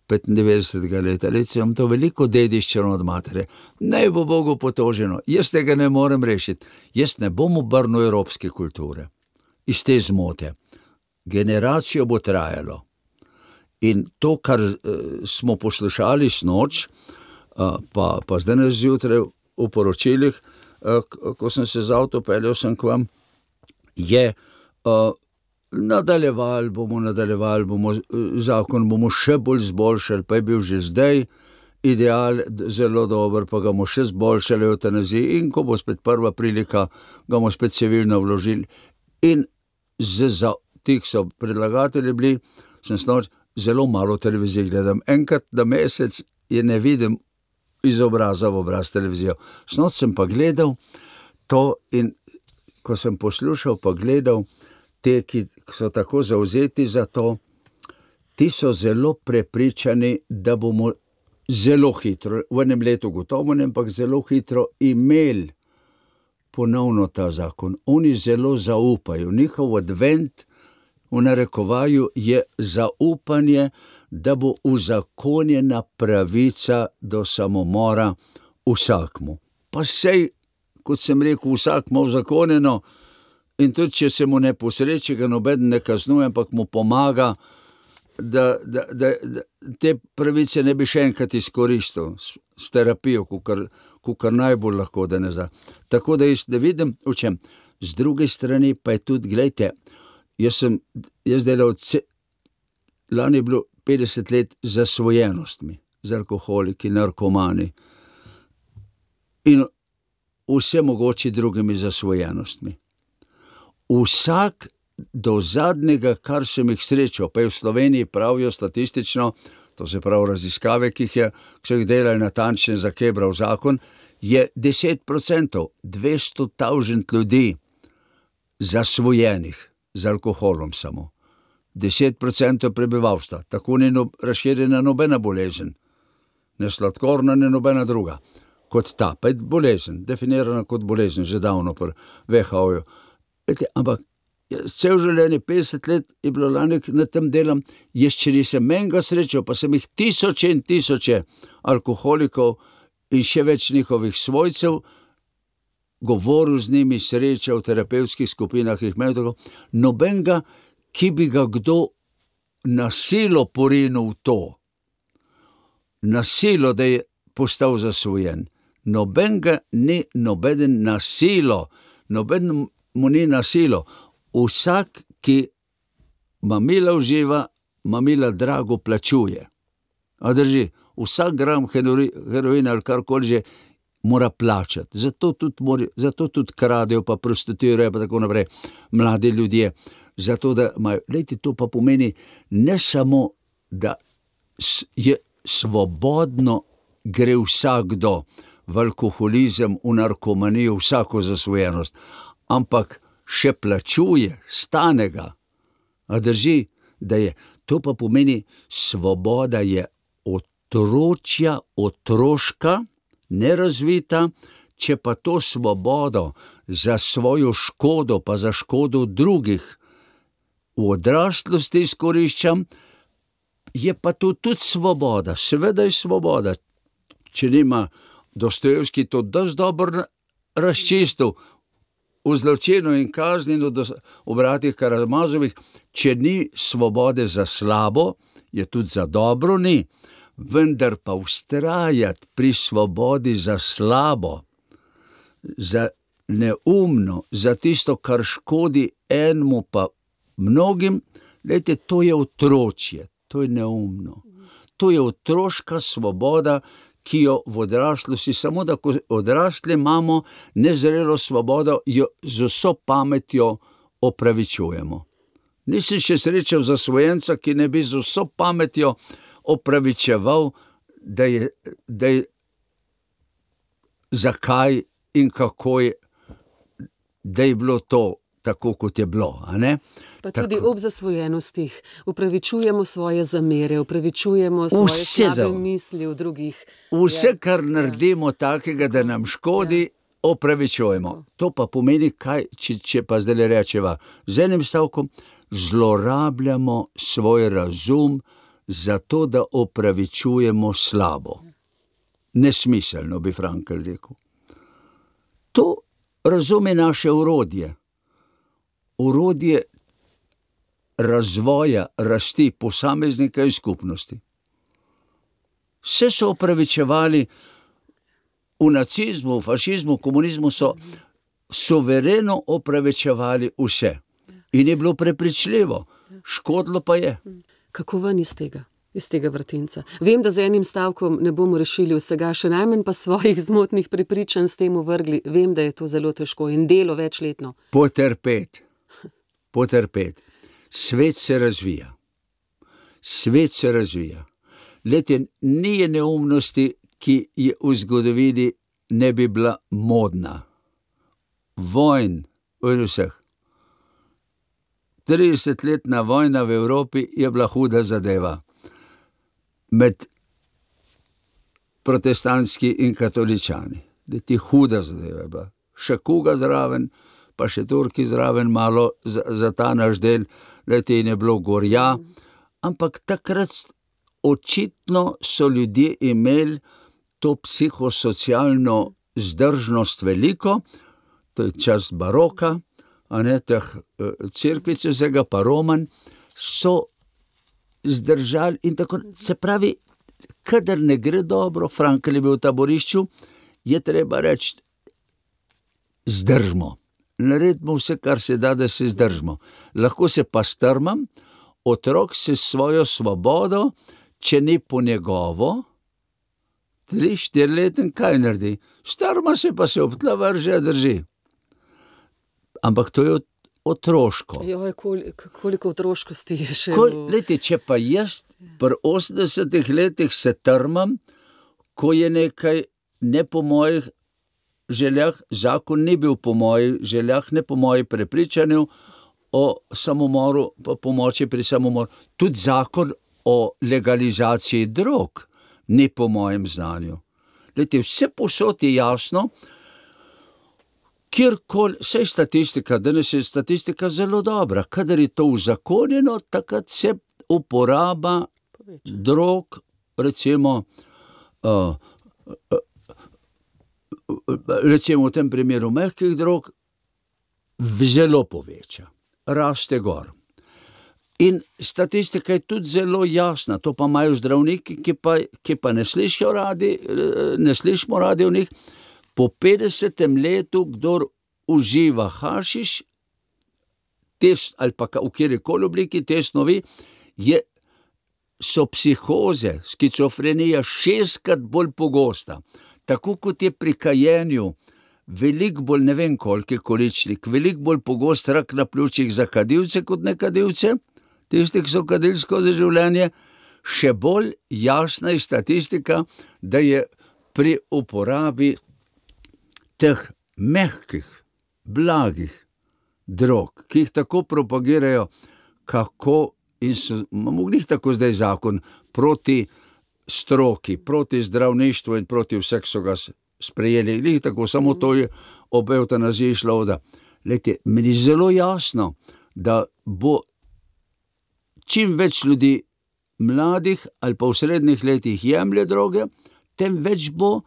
petindevetdesetega leta. Leto imam to veliko dediščino od matere. Naj bo Bogu potoženo, jaz tega ne morem rešiti. Jaz ne bom obrnil evropske kulture. Iz te zmote. Generacijo bo trajalo. In to, kar uh, smo poslušali snoč, uh, pa, pa zdaj zjutraj v poročilih, uh, ko sem se z avto peljal sem k vam, je uh, nadaljevali bomo, nadaljevali bomo, zakon bomo še bolj zboljšali, pa je bil že zdaj ideal zelo dober, pa ga bomo še zboljšali v eutanaziji in ko bo spet prva prilika, ga bomo spet civilno vložili. In z, za tih so predlagatelji bili, sem snoč, zelo malo televizij gledam. Enkrat na mesec je ne vidim iz obraza v obraz televizijo. Snoč sem pa gledal to in ko sem poslušal pa gledal te, ki so tako zavzeti za to, ti so zelo prepričani, da bomo zelo hitro, v enem letu gotovo, ampak zelo hitro imeli ponovno ta zakon. Oni zelo zaupajo. Njihov advent v narekovaju je zaupanje, da bo uzakonjena pravica do samomora vsakmu. Pa sej, kot sem rekel, vsak ima uzakonjeno in tudi, če se mu ne posreči, ga noben ne kaznuje, ampak mu pomaga, da, da, da, da te pravice ne bi še enkrat izkoristil s, s terapijo, kukar, kukar najbolj lahko, da ne za. Tako da jaz ne vidim, v čem. Z druge strani pa je tudi, gledajte, jaz sem, jaz delal, lani je bilo petdeset let z zasvojenostmi, z alkoholiki, narkomani in vse mogoče drugimi zasvojenostmi. Vsak do zadnjega, kar sem jih srečal, pa je v Sloveniji pravijo statistično, to se pravi raziskave, ki jih je, ki so jih delali natančno za kebral zakon, je deset procentov, dvesto tisoč ljudi zasvojenih z alkoholom samo. deset procentov prebivalstva, tako ni no, razširjena nobena bolezen, ne sladkorna, ne nobena druga, kot ta, pa je bolezen, definirana kot bolezen, že davno pri ve ha o-ju. Ampak cel življenje, petdeset let je bilo lani na tem delam, jaz če nisem menga srečal, pa sem jih tisoče in tisoče alkoholikov in še več njihovih svojcev, govoril z njimi, srečal v terapevtskih skupinah, jih imel tako, nobenega, ki bi ga kdo na silo porinil v to, na silo, da je postal zasvojen. Nobenega ni, nobeden na silo, noben mu ni na silo. Vsak, ki mamila uživa, mamila drago plačuje. A drži, vsak gram heroina ali karkoli že mora plačati. Zato tudi, mora, zato tudi kradejo, pa prostituirajo, pa tako naprej, mladi ljudje. Zato, da imajo, lejte, to pa pomeni ne samo, da je svobodno gre vsakdo v alkoholizem, v narkomanijo, vsako zasvojenost, ampak še plačuje, stane ga. A drži, da je. To pa pomeni, svoboda je otročja, otroška, nerazvita, če pa to svobodo za svojo škodo, pa za škodo drugih v odraslosti izkoriščam, je pa to tudi svoboda. Seveda je svoboda. Če nima Dostojevski to dosti dobro razčistil v zločinu in kazni v bratih Karamazovih, če ni svobode za slabo, je tudi za dobro ni, vendar pa vztrajati pri svobodi za slabo, za neumno, za tisto, kar škodi enemu pa mnogim, lejte, to je otročje, to je neumno. To je otroška svoboda, ki jo v odraslosti, samo da ko odrasli imamo nezrelo svobodo, jo z vso pametjo opravičujemo. Nisem še srečal zasvojenca, ki ne bi z vso pametjo opravičeval, da je, da je zakaj in kako je, da je bilo to tako, kot je bilo, a ne? Pa tudi tako. Ob zasvojenostih upravičujemo svoje zamere, upravičujemo svoje Vse slabe misli v drugih. Vse, kar naredimo takega, da nam škodi, opravičujemo. To pa pomeni, kaj, če, če pa zdaj rečeva, z enim stavkom, zlorabljamo svoj razum zato, da opravičujemo slabo. Nesmiselno, bi Frankl rekel. To razum je naše orodje. Orodje razvoja, rasti posameznika in skupnosti. Vse so opravičevali v nacizmu, v fašizmu, komunizmu so suvereno opravičevali vse. In je bilo prepričljivo, škodilo pa je. Kako ven iz tega, iz tega vrtinca? Vem, da z enim stavkom ne bomo rešili vsega, še najmanj pa svojih zmotnih prepričanj s tem uvrgli. Vem, da je to zelo težko in delo večletno. Potrpeti, potrpeti. Svet se razvija. Svet se razvija. Lete, ni neumnosti, ki je v zgodovini ne bi bila modna. Vojn, vojn vseh. tridesetletna vojna v Evropi je bila huda zadeva. Med protestantski in katoličani. Leti huda zadeva je bila. Še kuga zraven, pa še Turki zraven malo za, za ta naš del, leti je bilo gorja. Ampak takrat očitno so ljudje imeli to psihosocialno zdržnost veliko, to je čas baroka, a ne teh cerkvic vsega, pa Roman, so zdržali in tako, se pravi, kadar ne gre dobro, Frankl je bil v taborišču, je treba reči, zdržmo. Naredimo vse, kar se da, da se zdržimo. Lahko se pa strmam, otrok se s svojo svobodo, če ni po njegovo, tri, štiri leten, kaj naredi? Strma se pa se ob tla vrže, drži. Ampak to je otroško. Joj, koliko, koliko otroškosti je še. Kol, leti, če pa jaz pri osemdesetih letih se trmam, ko je nekaj ne po mojih željah, zakon ni bil po mojih željah, ne po mojih prepričanju o samomoru, pa pomoči pri samomoru. Tudi zakon o legalizaciji drog ni po mojem znanju. Leti, vse posod je jasno, kjerkoli, saj statistika, danes je statistika zelo dobra, kadar je to uzakonjeno, takrat se uporaba drog, recimo, uh, uh, recimo v tem primeru mehkih drog, zelo poveča, raste gor. In statistika je tudi zelo jasna, to pa imajo zdravniki, ki pa, ki pa ne slišijo radi, ne slišimo radi o njih. Po petdesetem letu, kdor uživa hašiš, test, ali pa v kjerikoli obliki te snovi, je, so psihoze, skizofrenija šestkrat bolj pogosta. Tako kot je pri kajenju veliko bolj, ne vem koliki količnik, veliko bolj pogost rak na pljučih za kadilce kot ne kadilce, tisti, ki so kadili skozi življenje, še bolj jasna je statistika, da je pri uporabi teh mehkih, blagih drog, ki jih tako propagirajo, kako in so, mogli jih tako zdaj zakon proti stroki, proti zdravništvu in proti vseh so ga sprejeli, jih tako, samo to je ob evtanaziji šlo, da, lejte, meni je zelo jasno, da bo čim več ljudi mladih ali pa v srednjih letih jemlje droge, tem več bo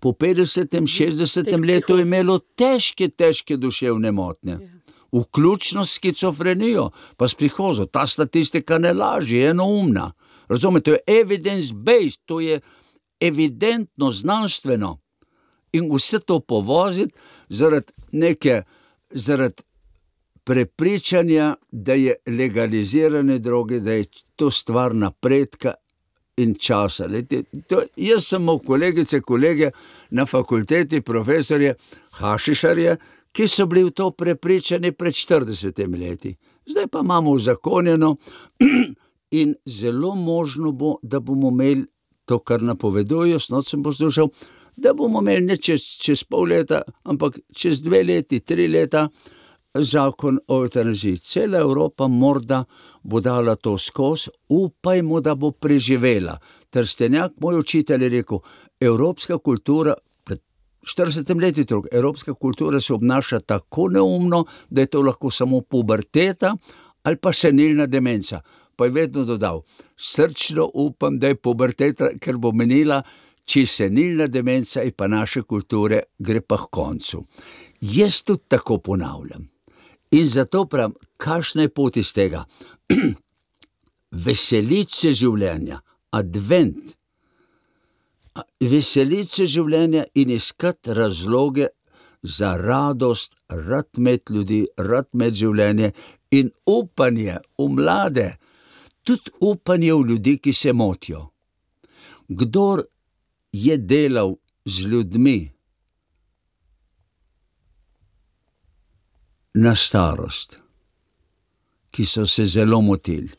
po petdesetem, šestdesetem letu imelo težke, težke duševne motnje. Vključno s skizofrenijo, pa s psihozo. Ta statistika ne laži, je enoumna. Razumete, to je evidence-based, to je evidentno, znanstveno. In vse to povoziti zaradi neke, zaradi prepričanja, da je legalizirane droge, da je to stvar napredka in časa. Lete, to, jaz sem imel kolegice, kolege na fakulteti, profesorje, hašišarje, ki so bili v to prepričani pred štiridesetimi leti. Zdaj pa imamo uzakonjeno in zelo možno bo, da bomo imeli to, kar napovedujejo, snoć sem poslušal, da bomo imeli ne čez, čez pol leta, ampak čez dve leti, tri leta zakon o evtanaziji. Cela Evropa morda bo dala to skozi, upajmo, da bo preživela. Trstenjak, moj učitelj, je rekel, evropska kultura pred štiridesetem letu otrok. Evropska kultura se obnaša tako neumno, da je to lahko samo puberteta ali pa senilna demenca. Pa je vedno dodal, srčno upam, da je puberteta, ker bo menila, če senilna demenca je pa naše kulture, gre pa k koncu. Jaz tudi tako ponavljam. In zato pravim, kakšna je pot iz tega? Veseliti se življenja, advent. Veseliti se življenja in iskati razloge za radost, rad imeti ljudi, rad imeti življenje in upanje v mlade, tudi upanje v ljudi, ki se motijo. Kdor je delal z ljudmi na starost, ki so se zelo motili,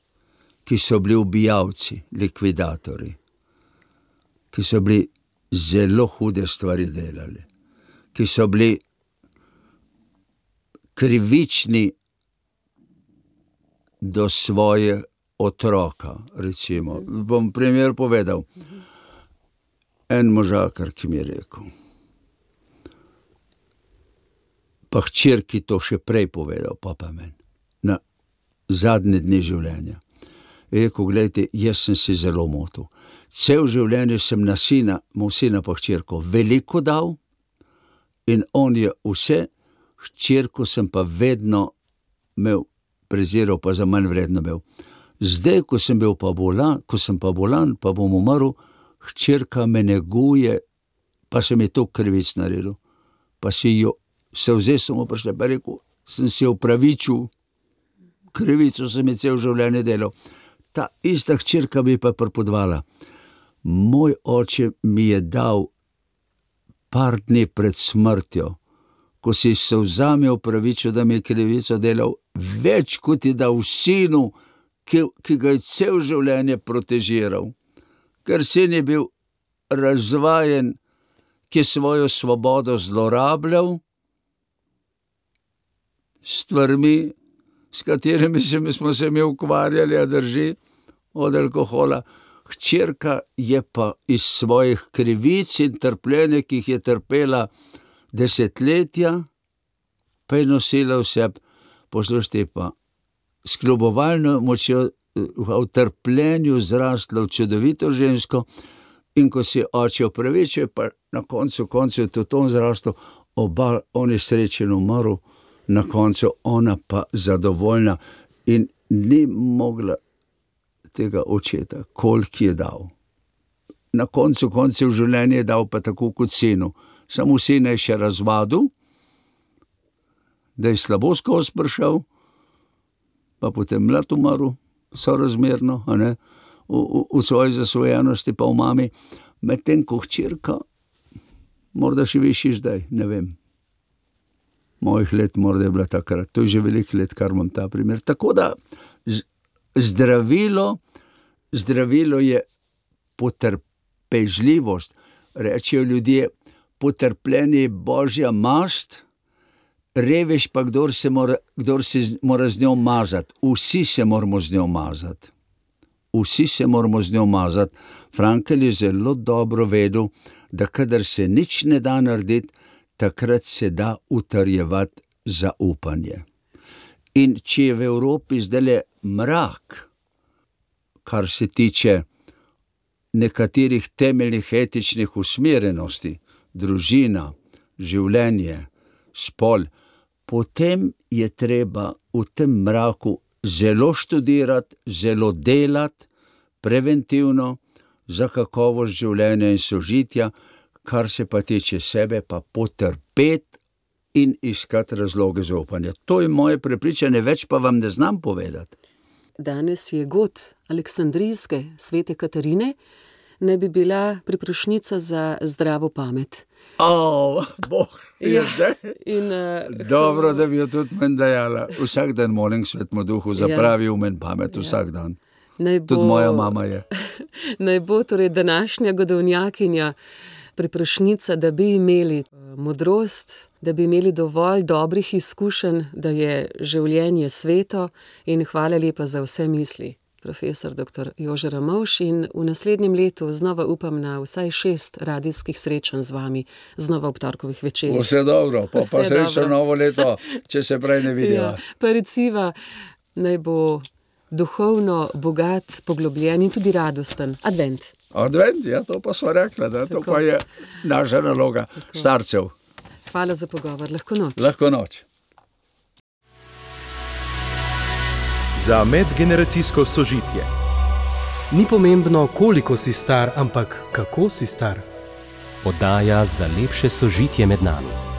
ki so bili ubijalci, likvidatorji, ki so bili zelo hude stvari delali, ki so bili krivični do svoje otroka, recimo. Bom primer povedal. En možakar, ki mi je rekel, pa hčerki to še prej povedal, pa pa meni, na zadnje dni življenja. Je rekel, glejte, jaz sem si zelo motil. Cel življenje sem na sina, moj sina pa hčerko veliko dal in on je vse, hčerko sem pa vedno imel, preziral pa za manj vredno imel. Zdaj, ko sem bil pa bolan, ko sem pa bolan, pa bom umrl, hčerka me neguje, pa sem je to krivic naredil. Pa si jo, se vzel sem vprašal, pa rekel, sem si opravičil, krivico sem je cel življenje delal. Ta ista hčerka bi pa pripodvala. Moj oče mi je dal par dni pred smrtjo, ko si se vzame opravičil, da mi je krivico delal, več kot je dal sinu, ki, ki ga je cel življenje protežiral. Ker sin je bil razvajen, ki je svojo svobodo zlorabljal, stvarmi, s katerimi smo se mi ukvarjali, a drži, od alkohola. Hčerka je pa iz svojih krivic in trpljenja, ki jih je trpela desetletja, pa je nosila vse, poslušajte pa, s kljubovalno močjo v trpljenju zrastla v čudovito žensko in ko si oče opravičil, pa na koncu koncu je tudi on zrastel, oba, on je srečen umrl, na koncu ona pa zadovoljna in ni mogla tega očeta, koliko je dal. Na koncu koncev življenje je dal pa tako kot sinu. Samo sina je še razvadil, da je slabo skozi prišel, pa potem mlad umrl, sorazmerno, a ne, v, v, v svoji zasvojenosti pa v mami, medtem ko hčerka, morda še višji zdaj, ne vem. Mojih let morda je bila takrat, to je že veliko let, kar imam ta primer. Tako da zdravilo, zdravilo je potrpežljivost. Rečejo ljudje, potrpljenje je božja mast, revež pa kdor se mora, kdor se mora z njo mazati. Vsi se moramo z njo mazati. Vsi se moramo z njo mazati. Frankl je zelo dobro vedel, da kadar se nič ne da narediti, takrat se da utrjevati zaupanje. In če je v Evropi zdajle mrak, kar se tiče nekaterih temeljnih etičnih usmerjenosti, družina, življenje, spol, potem je treba v tem mraku zelo študirati, zelo delati, preventivno, za kakovost življenja in sožitja, kar se pa tiče sebe, pa potrpeti in iskati razloge za upanje. To je moje prepričanje, več pa vam ne znam povedati. Danes je god Aleksandrijske svete Katarine, ne bi bila priprošnjica za zdravo pamet. O, Bog, je zdaj. In, uh, Dobro, da bi jo tudi meni dajala. Vsak dan molim Svetemu Duhu, zapravi v meni pamet, vsak dan. Naj bo, tudi moja mama je. Naj bo torej današnja godovnjakinja priprošnjica, da bi imeli modrost, da bi imeli dovolj dobrih izkušenj, da je življenje sveto in hvala lepa za vse misli, profesor doktor Jože Ramovš, in v naslednjem letu znova upam na vsaj šest radijskih srečanj z vami, znova ob torkovih večerih. Vse dobro, pa, Vse pa srečno dobro. novo leto, če se prej ne vidiva. Ja, pa reciva, naj bo duhovno bogat, poglobljen in tudi radosten advent. Advent, ja, to pa sva rekla, da to Tako. pa je naša naloga starcev. Hvala za pogovor, lahko noč. Lahko noč. Za medgeneracijsko sožitje. Ni pomembno, koliko si star, ampak kako si star. Oddaja za lepše sožitje med nami.